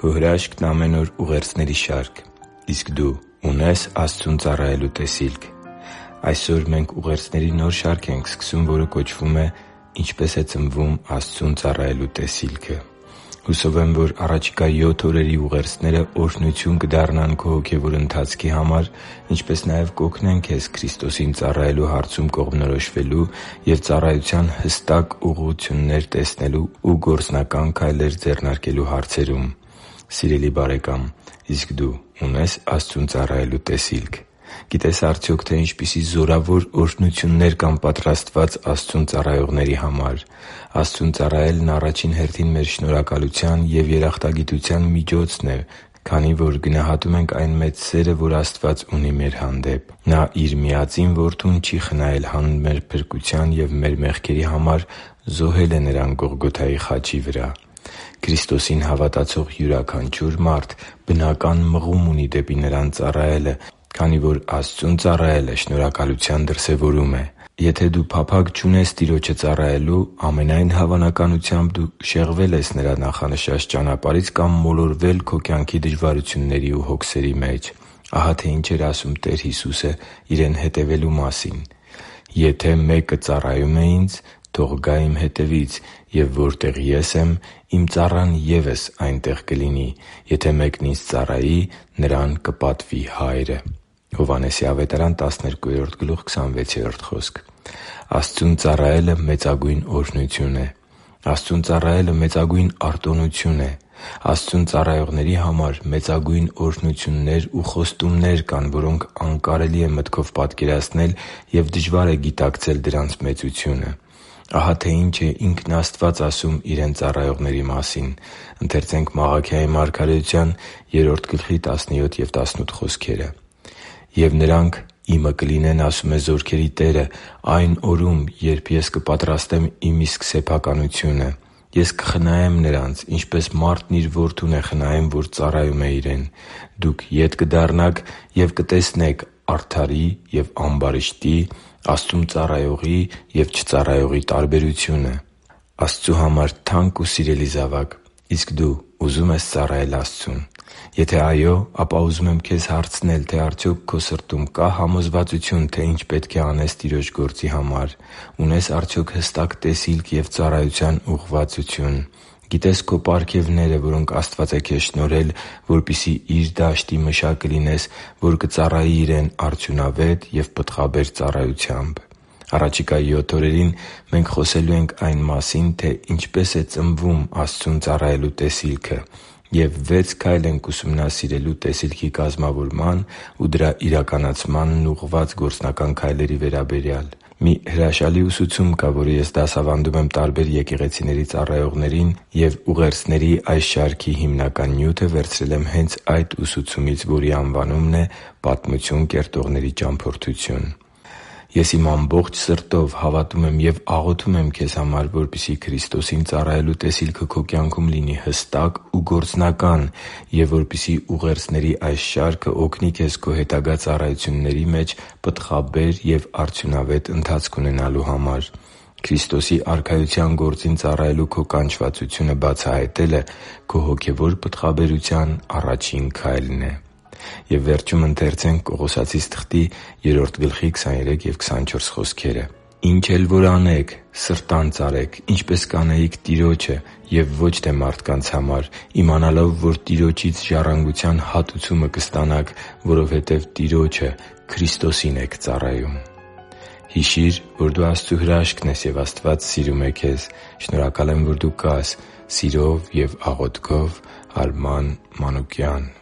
Քո հրաշքն ամեն օր ուղերձների շարք։ Իսկ դու ունե՞ս Աստծուն ծառայելու տեսիլք։ Այսօր մենք ուղերձների նոր շարք ենք սկսում, որը կոչվում է «Ինչպե՞ս է ծնվում Աստծուն ծառայելու տեսիլքը»։ Հուսով եմ, որ առաջիկա 7 օրերի ուղերձները օրհնություն կդառնան քո հոգևոր ընթացքի համար, ինչպես նաև կօգնեն քեզ Քրիստոսին ծառայելու հարցում կողմնորոշվելու և ծառայության հստակ ուղղություններ տեսնելու ու գործնական քայլեր ձեռնարկելու հարցերում։ Սիրելի՛ բարեկամ, իսկ դու ունե՞ս Աստծուն ծառայելու տեսիլք։ Գիտե՞ս արդյոք, թե ինչպիսի զորավոր օրհնություններ կան պատրաստված Աստծուն ծառայողների համար։ Աստծուն ծառայելն առաջին հերթին մեր շնորհակալության և երախտագիտության միջոցն է, քանի որ գնահատում ենք այն մեծ սերը, որ Աստված ունի մեր հանդեպ։ Նա Իր միածին Որդուն չի խնայել հանուն մեր փրկության և մեր մեղքերի համար զոհել է Նրան Գողգոթայի խաչի վրա։ Քրիստոսին հավատացող յուրաքանչյուր մարդ բնական մղում ունի դեպի Նրան ծառայելը, քանի որ Աստծուն ծառայելը շնորհակալության դրսևորում է։ Եթե դու փափագ չունես Տիրոջը ծառայելու, ամենայն հավանականությամբ դու շեղվել ես Նրա նախանշած ճանապարհից կամ մոլորվել քո կյանքի դժվարությունների ու հոգսերի մեջ։ Ահա թե ինչ էր ասում Տեր Հիսուսը Իրեն հետևելու մասին. «Եթե մեկը ծառայում է Ինձ, թող գա Իմ հետևից, և որտեղ Ես եմ, Իմ ծառան ևս այնտեղ կլինի. եթե մեկն Ինձ ծառայի, նրան կպատվի Հայրը» (Հովհաննես 12:26)։ Աստծուն ծառայելը մեծագույն օրհնություն է։ Աստծուն ծառայելը մեծագույն արտոնություն է։ Աստծուն ծառայողների համար մեծագույն օրհնություններ ու խոստումներ կան, որոնք անկարելի է մտքով պատկերացնել և դժվար է գիտակցել դրանց մեծությունը։ Ահա թե ինչ է ինքն Աստված ասում Իրեն ծառայողների մասին. «Եվ նրանք Իմը կլինեն, ասում է Զորքերի Տերը, այն օրում, երբ Ես կպատրաստեմ Իմ իսկ սեփականությունը. Ես կխնայեմ նրանց, ինչպես մարդն իր որդուն է խնայում, որ ծառայում է իրեն։ Դուք ետ կդառնաք և կտեսնեք արդարի և ամբարիշտի, Աստծուն ծառայողի և չծառայողի տարբերությունը» (Մաղաքիա 3.17-18)։ Աստծու համար թանկ ու սիրելի՛ զավակ, իսկ դու ուզո՞ւմ ես ծառայել Աստծուն։ Եթե այո, ապա ուզում եմ քեզ հարցնել, թե արդյոք քո սրտում կա՞ համոզվածություն, թե ինչ պետք է անես Տիրոջ գործի համար։ Ունե՞ս արդյոք հստակ տեսիլք և ծառայության ուղղվածություն։ Գիտե՞ս քո պարգևները, որոնք Աստված է քեզ շնորհել, որպեսզի Իր դաշտի մշակը լինես, որ կծառայի Իրեն արդյունավետ և պտղաբեր ծառայությամբ։ Առաջիկա 7 օրերին մենք խոսելու ենք այն մասին, թե ինչպե՛ս է ծնվում Աստծուն ծառայելու տեսիլքը, և 6 քայլ ենք ուսումնասիրելու տեսիլքի կազմավորման ու դրա իրականացմանն ուղղված գործնական քայլերի վերաբերյալ։ Մի հրաշալի ուսուցում կա, որը ես դասավանդում եմ տարբեր եկեղեցիների ծառայողներին, և ուղերձների այս շարքի հիմնական նյութը վերցրել եմ հենց այդ ուսուցումից, որի անվանումն է «Պատմություն կերտողների ճամփորդություն»։ Ես իմ ամբողջ սրտով հավատում եմ և աղոթում եմ քեզ համար, որպեսզի Քրիստոսին ծառայելու տեսիլքը քո կյանքում լինի հստակ ու գործնական և որպեսզի ուղերձների այս շարքը օգնի քեզ քո հետագա ծառայությունների մեջ պտղաբեր և արդյունավետ ընթացք ունենալու համար։ Քրիստոսի Արքայության գործին ծառայելու քո կանչվածությունը բացահայտելը քո հոգևոր պտղաբերության առաջին քայլն է։ «Ինչ էլ որ անեք, սրտանց արեք, ինչպես կանեիք Տիրոջը և ոչ թե մարդկանց համար, իմանալով, որ Տիրոջից ժառանգության հատուցումը կստանաք, որովհետև Տիրոջը՝ Քրիստոսին եք ծառայում» (Կողոսացիս 3.23-24)։ Հիշի՛ր, որ դու Աստծո հրաշքն ես, և Աստված սիրում է քեզ։ Շնորհակալ եմ, որ դու կա՛ս։ Սիրով և աղոթքով, Արման Մանուկյան։